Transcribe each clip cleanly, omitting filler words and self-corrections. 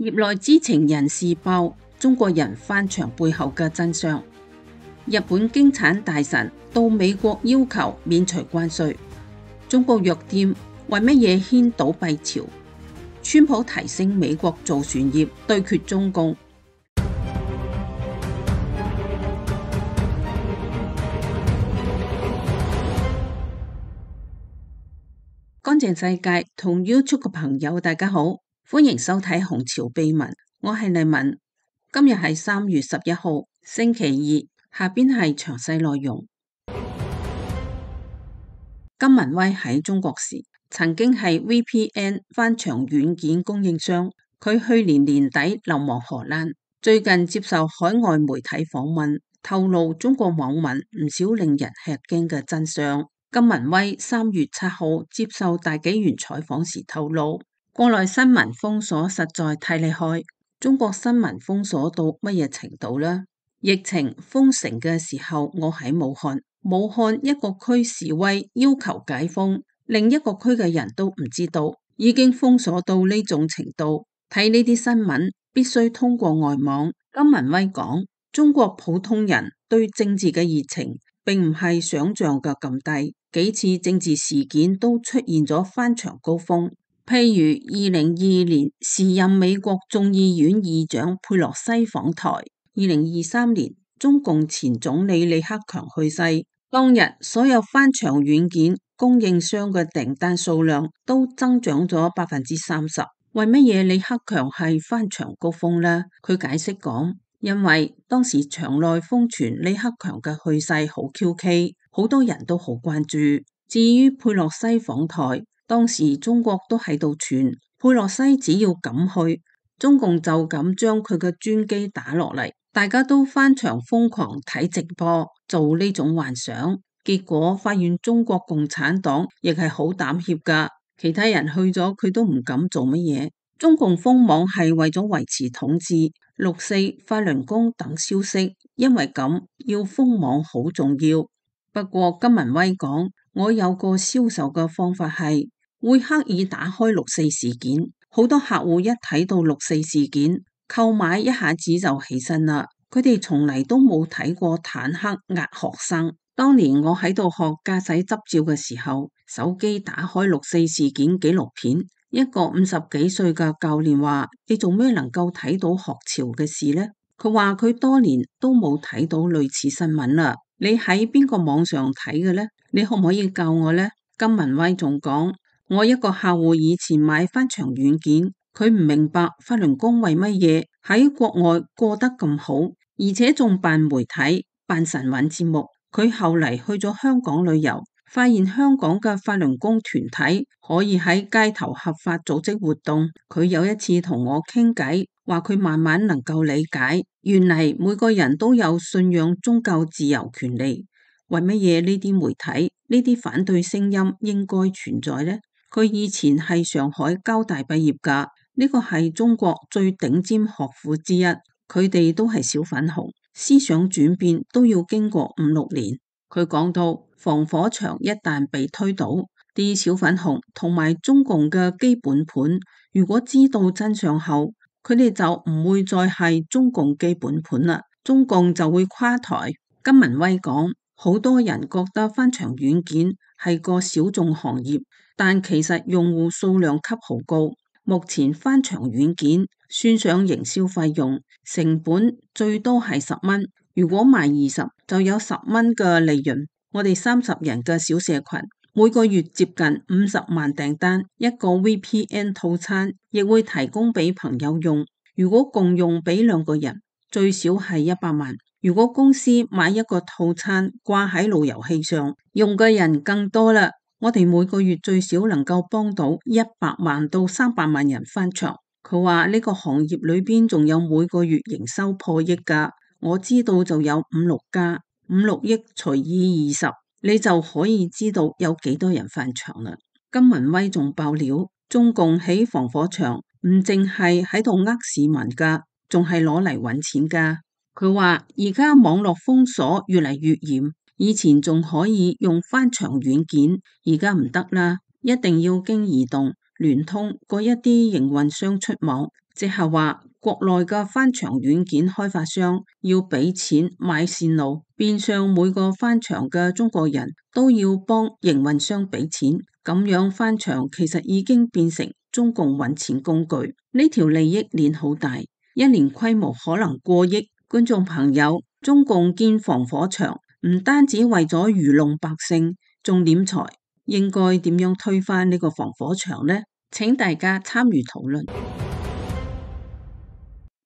業內知情人士爆中國人翻牆背後嘅真相。日本經產大臣到美國要求免除關稅。中國藥店為乜嘢掀倒閉潮？川普提醒美國造船業對決中共。乾淨世界同 YouTube 嘅朋友大家好，歡迎收睇《紅潮秘聞》，我係麗文。今日係3月11號星期二，下邊係詳細內容。金文威喺中國時曾經係 VPN 翻牆軟件供應商，佢去年年底流亡荷蘭，最近接受海外媒體訪問，透露中國網民唔少令人吃驚嘅真相。金文威3月7號接受大紀元採訪時透露，國內新聞封鎖實在太厲害。中國新聞封鎖到乜嘢程度呢？疫情封城嘅時候，我喺武漢一個區示威要求解封，另一個區嘅人都唔知道，已經封鎖到呢種程度。睇呢啲新聞必須通過外網。金文威講，中國普通人對政治嘅熱情並唔係想象嘅咁低，幾次政治事件都出現咗翻牆高峰，譬如2022年時任美國眾議院議長佩洛西訪台，2023年中共前總理李克強去世，當日所有翻牆軟件供應商嘅訂單數量都增長咗30%。為乜嘢李克強係翻牆高峰呢？佢解釋講，因為當時場內瘋傳李克強嘅去世好蹊蹺，好多人都好關注。至於佩洛西訪台，當時中國都喺度傳佩洛西只要敢去，中共就咁將佢嘅專機打落嚟，大家都翻牆瘋狂睇直播，做呢種幻想。結果發現中國共產黨亦係好膽怯噶，其他人去咗佢都唔敢做乜嘢。中共封網係為咗維持統治。6四法輪功等消息，因為咁要封網好重要。不過金文威講，我有個銷售嘅方法係會刻意打開6四事件，好多客戶一睇到6四事件，購買一下子就起身啦。佢哋從嚟都冇睇過坦克壓學生。當年我喺度學駕駛執照嘅時候，手機打開6四事件紀錄片。一個50幾歲嘅教練話：你做咩能夠睇到學潮嘅事呢？佢話佢多年都冇睇到類似新聞啦。你喺邊個網上睇嘅呢？你可唔可以教我呢？金文威仲講，我一個客戶以前買翻牆軟件，佢唔明白法輪功為乜嘢喺國外過得咁好，而且仲辦媒體、辦神韻節目。佢後嚟去咗香港旅遊，發現香港嘅法輪功團體可以喺街頭合法組織活動。佢有一次同我傾偈，話佢慢慢能夠理解，原嚟每個人都有信仰宗教自由權利。為乜嘢呢啲媒體、呢啲反對聲音應該存在呢？佢以前係上海交大畢業㗎，呢個係中國最頂尖學府之一。佢哋都係小粉紅，思想轉變都要經過5-6年。佢講到，防火牆一旦被推倒，啲小粉紅同埋中共嘅基本盤，如果知道真相後，佢哋就唔會再係中共基本盤啦，中共就會垮台。金文威講，好多人覺得翻牆軟件係個小眾行業，但其實用戶數量級好高。目前翻牆軟件算上營銷費用，成本最多係10蚊，如果賣20就有10蚊嘅利潤。我哋30人嘅小社群，每個月接近50萬訂單，一個 VPN 套餐亦會提供俾朋友用。如果共用俾2個人，最少係100萬。如果公司買一個套餐掛喺路由器上，用嘅人更多啦。我哋每個月最少能夠幫到100萬到300萬人翻牆。佢話呢個行業裏邊仲有每個月營收破億噶，我知道就有5-6家，5-6億除以20，你就可以知道有幾多人翻牆啦。金文威仲爆料，中共起防火牆唔淨係喺度呃市民噶，仲係攞嚟搵錢噶。佢話而家網絡封鎖越嚟越嚴。以前仲可以用翻牆軟件，而家唔得啦，一定要經移動、聯通嗰一啲營運商出網，即係話國內嘅翻牆軟件開發商要俾錢買線路，變相每個翻牆嘅中國人都要幫營運商俾錢，咁樣翻牆其實已經變成中共揾錢工具，呢條利益鏈好大，一年規模可能過億。觀眾朋友，中共建防火牆唔單止為咗愚弄百姓，仲斂財，應該點樣推翻呢個防火牆呢？請大家參與討論。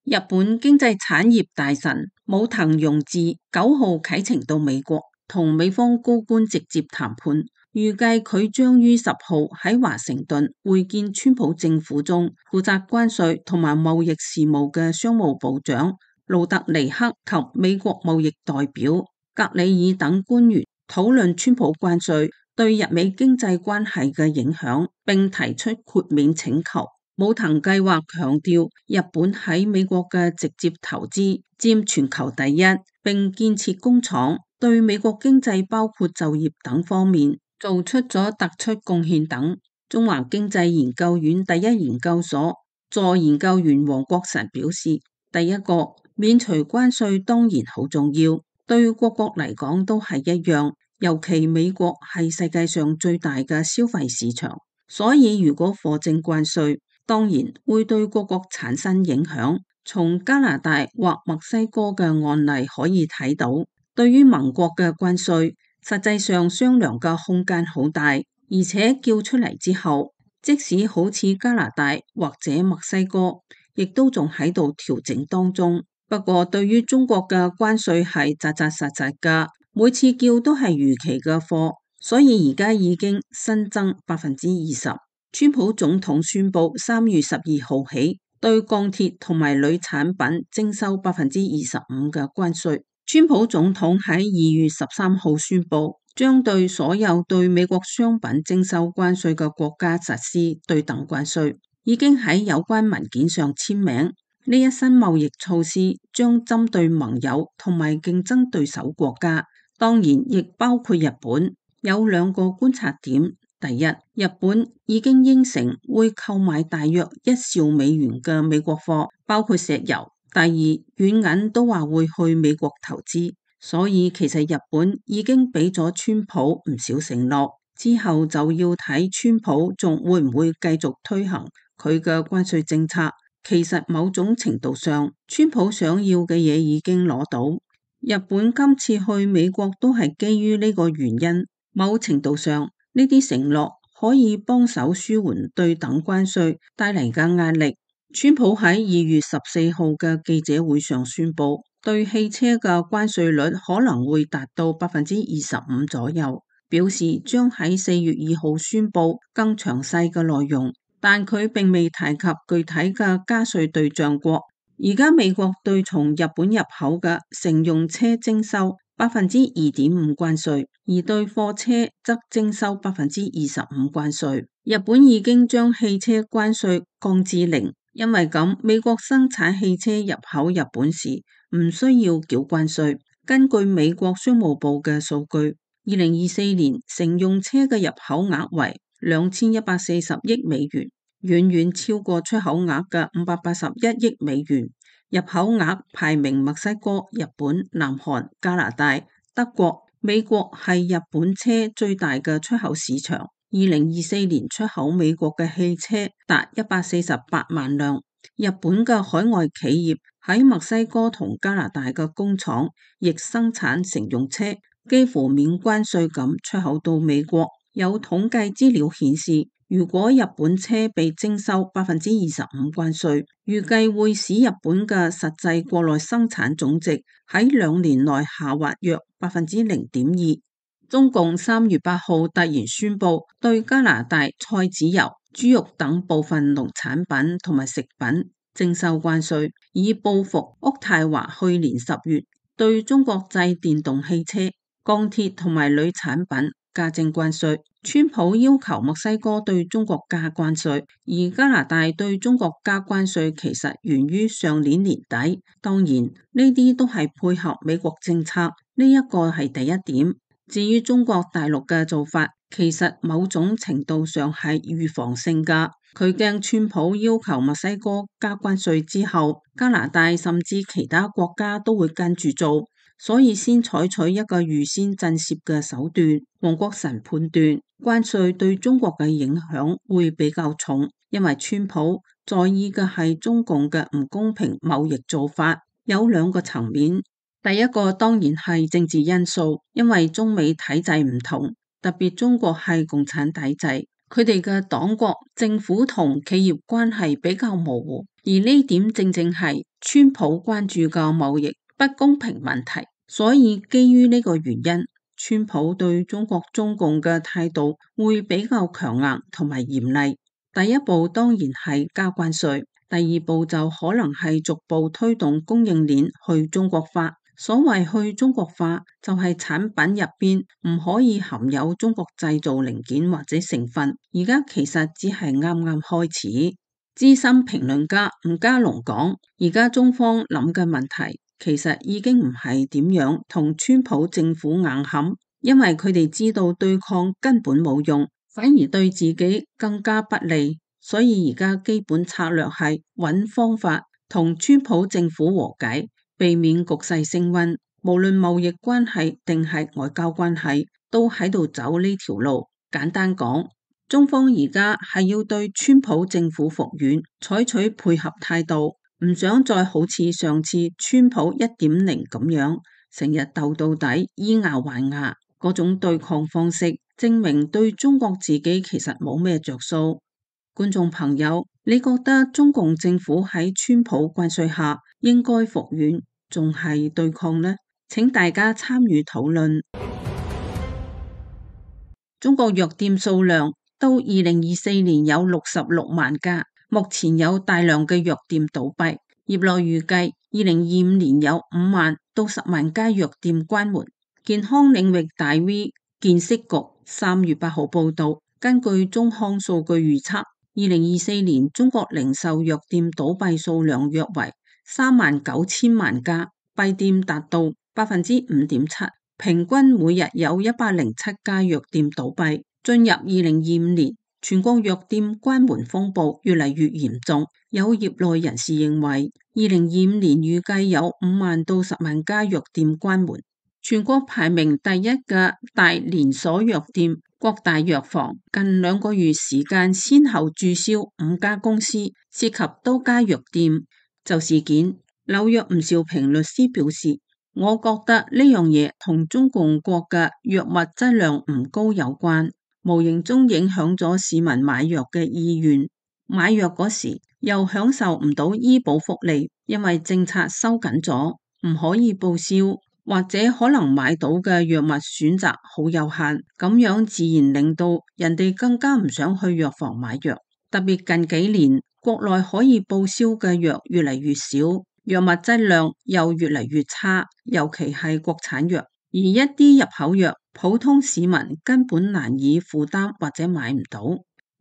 日本經濟產業大臣武藤庸治9號啟程到美國，同美方高官直接談判，預計佢將於10號喺華盛頓會見川普政府中負責關稅同埋貿易事務嘅商務部長盧特尼克及美國貿易代表格里爾等官員，討論川普關稅對日美經濟關係嘅影響，並提出豁免請求。武藤計劃強調日本喺美國嘅直接投資佔全球第一，並建設工廠，對美國經濟包括就業等方面做出咗突出貢獻等。中華經濟研究院第一研究所助研究員黃國臣表示，第一個免除關稅當然好重要，對各國嚟講都係一樣，尤其美國係世界上最大嘅消費市場，所以如果課徵關稅，當然會對各國產生影響。從加拿大或墨西哥嘅案例可以睇到，對於盟國嘅關稅，實際上商量嘅空間好大，而且叫出嚟之後，即使好似加拿大或者墨西哥，亦都仲喺度調整當中。不過對於中國嘅關稅係扎扎實實㗎，每次叫都係預期嘅貨，所以而家已經新增20%。川普總統宣布3月12號起對鋼鐵同埋鋁產品徵收25%嘅關稅。川普總統喺2月13號宣布將對所有對美國商品徵收關稅嘅國家實施對等關稅，已經喺有關文件上簽名。呢一新貿易措施將針對盟友同埋競爭對手國家，當然亦包括日本。有2個觀察點。第一，日本已經應承會購買大約1兆美元嘅美國貨，包括石油。第二，軟銀都話會去美國投資，所以其實日本已經俾咗川普唔少承諾，之後就要睇川普仲會唔會繼續推行佢嘅關稅政策。其實某種程度上，川普想要嘅嘢已經攞到。日本今次去美國都係基於呢個原因，某程度上，呢啲承諾可以幫手舒緩對等關稅帶嚟嘅壓力。川普喺2月14號嘅記者會上宣布，對汽車嘅關稅率可能會達到25%左右，表示將喺4月2號宣布更詳細嘅內容，但佢並未提及具體嘅加稅對象國。而家美國對從日本入口嘅乘用車徵收2.5%關稅，而對貨車則徵收25%關稅。日本已經將汽車關稅降至0，因為咁美國生產汽車入口日本時唔需要繳關稅。根據美國商務部嘅數據，2024年乘用車嘅入口額為2140億美元，遠遠超過出口額嘅581億美元。入口額排名墨西哥、日本、南韓、加拿大、德國、美國係日本車最大嘅出口市場。2024年出口美國嘅汽車達148萬輛。日本嘅海外企業喺墨西哥同加拿大嘅工廠亦生產乘用車，幾乎免關稅咁出口到美國。有統計資料顯示，如果日本車被徵收25%關稅，預計會使日本嘅實際國內生產總值喺2年內下滑約0.2%。中共3月8號突然宣布對加拿大菜籽油、豬肉等部分農產品同埋食品徵收關稅，以報復渥太華去年10月對中國製電動汽車、鋼鐵同埋鋁產品加徵關稅。川普要求墨西哥對中國加關稅，而加拿大對中國加關稅其實源於上年年底。當然呢啲都係配合美國政策，呢一個係第一點。至於中國大陸嘅做法，其實某種程度上係預防性㗎。佢驚川普要求墨西哥加關稅之後，加拿大甚至其他國家都會跟住做，所以先採取一個預先震懾嘅手段。黃國成判斷關稅對中國嘅影響會比較重，因為川普在意嘅係中共嘅唔公平貿易做法，有兩個層面。第一個當然係政治因素，因為中美體制唔同，特別中國係共產體制，佢哋嘅黨國政府同企業關係比較模糊，而呢點正正係川普關注嘅貿易不公平問題。所以基於呢個原因，川普對中國中共嘅態度會比較強硬同埋嚴厲。第一步當然係加關稅，第二步就可能係逐步推動供應鏈去中國化。所謂去中國化，就係產品入邊唔可以含有中國製造零件或者成分。而家其實只係啱啱開始。資深評論家吳家龍講，而家中方諗嘅問題，其實已經唔係點樣同川普政府硬撼，因為佢哋知道對抗根本冇用，反而對自己更加不利。所以而家基本策略係揾方法同川普政府和解，避免局勢升溫。無論貿易關係定係外交關係，都喺度走呢條路。簡單講，中方而家係要對川普政府服軟，採取配合態度，唔想再好似上次川普1.0咁樣，成日鬥到底，以牙還牙嗰種對抗方式，證明對中國自己其實冇咩着數。觀眾朋友，你覺得中共政府喺川普關稅下應該服軟，仲係對抗呢？請大家參與討論。中國藥店數量到2024年有66萬家，目前有大量嘅藥店倒閉。業內預計2025年有5萬到10萬家藥店關門。健康領域大 V 健息局3月8號報道，根據中康數據預測，2024年中國零售藥店倒閉數量約為39000萬家，閉店達到5.7%，平均每日有107家藥店倒閉。進入2025年，全國藥店關門風暴越嚟越嚴重，有業內人士認為，2025年預計有5萬到10萬家藥店關門。全國排名第一嘅大連鎖藥店國大藥房近2個月時間先後註銷5家公司，涉及多家藥店。就事件，紐約吳兆平律師表示，我覺得呢樣嘢同中共國嘅藥物質量唔高有關，無形中影響咗市民買藥嘅意願。買藥嗰時又享受唔到醫保福利，因為政策收緊咗，唔可以報銷，或者可能買到嘅藥物選擇好有限，咁樣自然令到人哋更加唔想去藥房買藥。特別近幾年，國內可以報銷嘅藥越嚟越少，藥物質量又越嚟越差，尤其係國產藥。而一啲入口藥，普通市民根本難以負擔或者買唔到。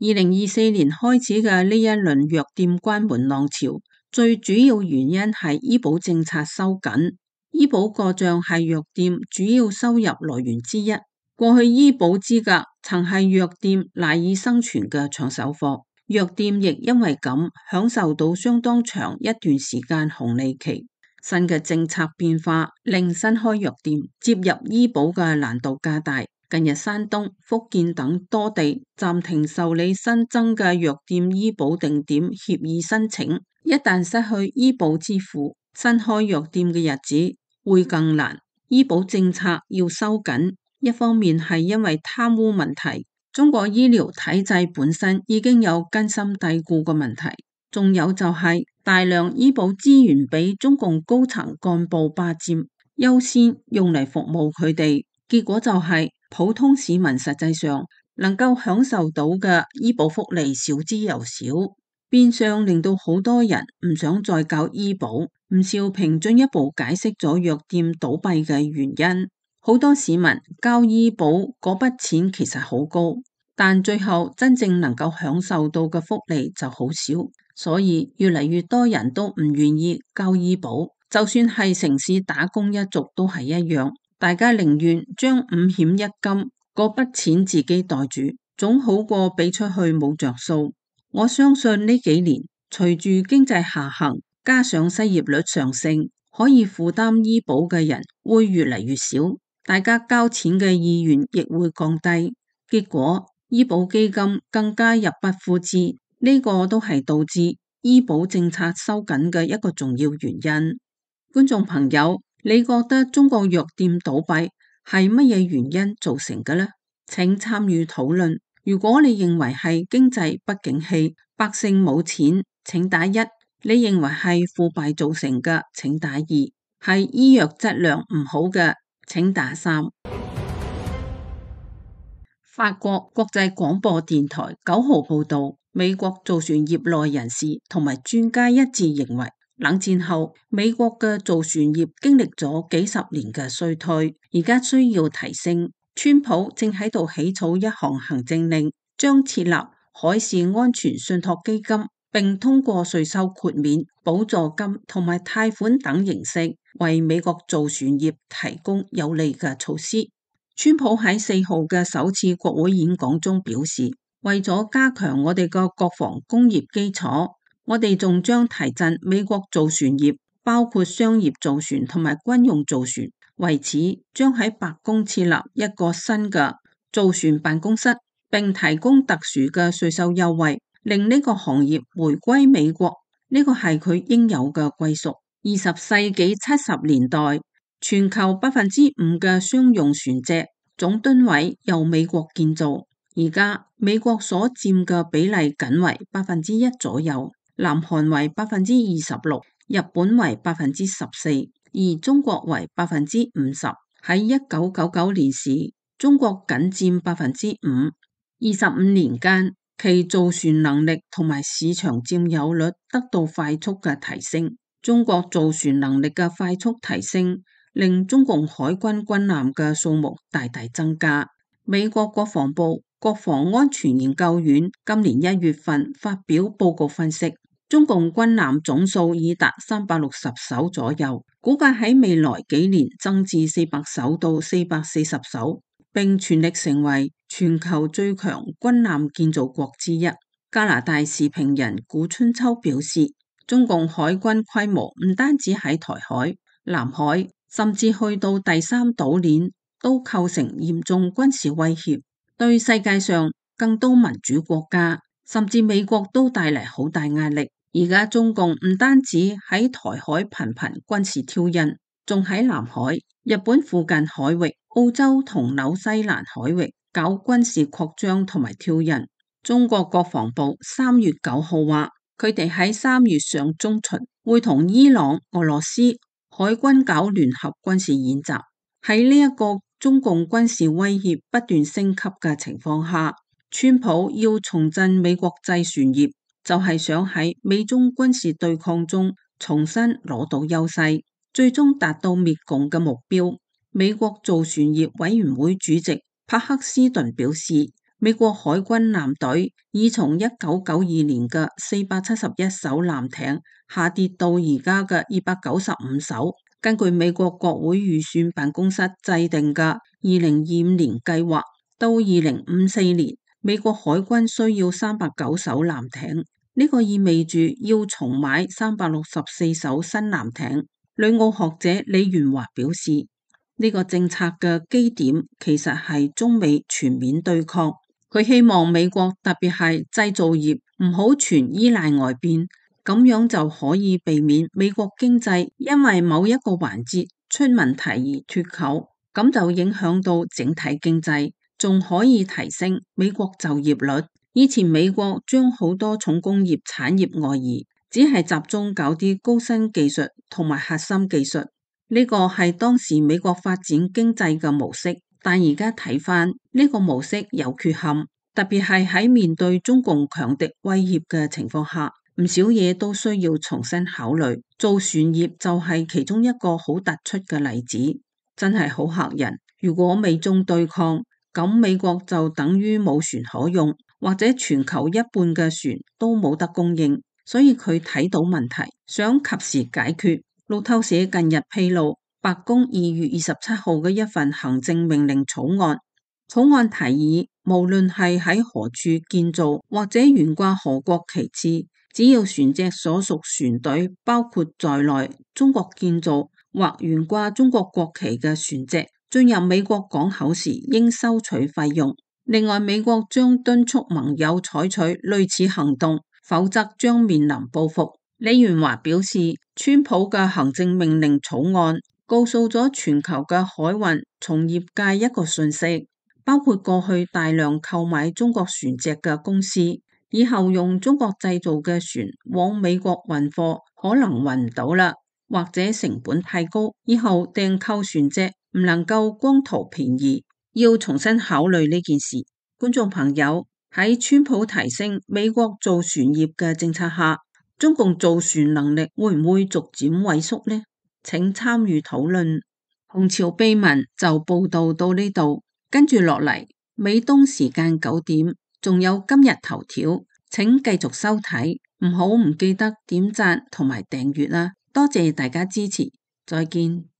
2024年開始嘅呢一輪藥店關門浪潮，最主要原因係醫保政策收緊。醫保過賬係藥店主要收入來源之一。過去醫保資格曾係藥店賴以生存嘅搶手貨，藥店亦因為咁享受到相當長一段時間紅利期。新嘅政策變化令新開藥店接入醫保嘅難度加大。近日山東、福建等多地暫停受理新增嘅藥店醫保定點協議申請，一旦失去醫保支付，新開藥店嘅日子會更難。醫保政策要收緊，一方面係因為貪污問題，中國醫療體制本身已經有根深蒂固嘅問題，仲有就係大量醫保資源俾中共高層幹部霸佔，優先用嚟服務佢哋，結果就係普通市民實際上能夠享受到嘅醫保福利少之又少，變相令到好多人唔想再交醫保。吳兆平進一步解釋咗藥店倒閉嘅原因，好多市民交醫保嗰筆錢其實好高，但最後真正能夠享受到嘅福利就好少，所以越嚟越多人都唔願意交醫保，就算係城市打工一族都係一樣，大家寧願將5險一金嗰筆錢自己袋住，總好過俾出去冇着數。我相信呢幾年隨住經濟下行，加上失業率上升，可以負擔醫保嘅人會越嚟越少，大家交錢嘅意願亦會降低，結果醫保基金更加入不敷支，呢個都係導致醫保政策收緊嘅一個重要原因。觀眾朋友，你覺得中國藥店倒閉係乜嘢原因造成嘅呢？請參與討論。如果你認為係經濟不景氣，百姓冇錢，請打1；你認為係腐敗造成嘅，請打2；係醫藥質量唔好嘅，請打3。法國國際廣播電台9號報道，美國造船業內人士同埋專家一致認為，冷戰後美國嘅造船業經歷咗幾十年嘅衰退，而家需要提升。川普正喺度起草一項行政令，將設立海事安全信託基金，並通過稅收豁免、補助金同埋貸款等形式，為美國造船業提供有利嘅措施。川普喺4號嘅首次國會演講中表示，為咗加強我哋嘅國防工業基礎，我哋仲將提振美國造船業，包括商業造船同埋軍用造船。為此，將喺白宮設立一個新嘅造船辦公室，並提供特殊嘅稅收優惠，令呢個行業回歸美國。呢個係佢應有嘅歸屬。20世紀70年代，全球5%嘅商用船隻總噸位由美國建造，而家美國所佔嘅比例僅為1%左右，南韓為26%，日本為14%。而中國為50%，喺1999年時，中國僅佔5%。25年間，其造船能力同埋市場佔有率得到快速嘅提升。中國造船能力嘅快速提升，令中共海軍軍艦嘅數目大大增加。美國國防部國防安全研究院今年1月份發表報告分析，中共軍艦總數已達360艘左右，估計喺未來幾年增至400艘到440艘，並全力成為全球最強軍艦建造國之一。加拿大時評人古春秋表示，中共海軍規模唔單止喺台海、南海，甚至去到第三島鏈，都構成嚴重軍事威脅，對世界上更多民主國家，甚至美國都帶嚟好大壓力。而家中共唔單止喺台海頻頻軍事挑釁，仲喺南海、日本附近海域、澳洲同紐西蘭海域搞軍事擴張同埋挑釁。中國國防部3月9號話，佢哋喺3月上中旬會同伊朗、俄羅斯海軍搞聯合軍事演習。喺呢一個中共軍事威脅不斷升級嘅情況下，川普要重振美國製船業，就係想喺美中軍事對抗中重新攞到優勢，最終達到滅共嘅目標。美國造船業委員會主席帕克斯頓表示，美國海軍艦隊已從1992年嘅471艘艦艇下跌到而家嘅295艘。根據美國國會預算辦公室制定嘅2025年計劃，到2054年，美國海軍需要309艘艦艇。呢個意味住要重買364艘新艦艇。旅澳學者李元華表示，呢個政策嘅基點其實係中美全面對抗。佢希望美國特別係製造業唔好全依賴外邊，咁樣就可以避免美國經濟因為某一個環節出問題而脫鈎，咁就影響到整體經濟，仲可以提升美國就業率。以前美國將好多重工業產業外移，只係集中搞啲高新技術同埋核心技術，呢個係當時美國發展經濟嘅模式。但而家睇返呢個模式有缺陷，特別係喺面對中共強敵威脅嘅情況下，唔少嘢都需要重新考慮。造船業就係其中一個好突出嘅例子，真係好嚇人。如果美中對抗，咁美國就等於冇船可用，或者全球一半嘅船都冇得供應，所以佢睇到問題，想及時解決。路透社近日披露，白宮2月27號嘅一份行政命令草案，草案提議，無論係喺何處建造或者懸掛何國旗幟，只要船隻所屬船隊包括在內，中國建造或懸掛中國國旗嘅船隻進入美國港口時，應收取費用。另外，美國將敦促盟友採取類似行動，否則將面臨報復。李元華表示，川普嘅行政命令草案告訴咗全球嘅海運從業界一個訊息，包括過去大量購買中國船隻嘅公司，以後用中國製造嘅船往美國運貨可能運唔到啦，或者成本太高，以後訂購船隻唔能夠光圖便宜，要重新考慮呢件事。觀眾朋友，喺川普提升美國造船業嘅政策下，中共造船能力會唔會逐漸萎縮呢？請參與討論。紅潮秘聞就報道到呢度。跟住落嚟，美東時間9點，仲有今日頭條，請繼續收睇，唔記得點讚同埋訂閱啦，多謝大家支持，再見。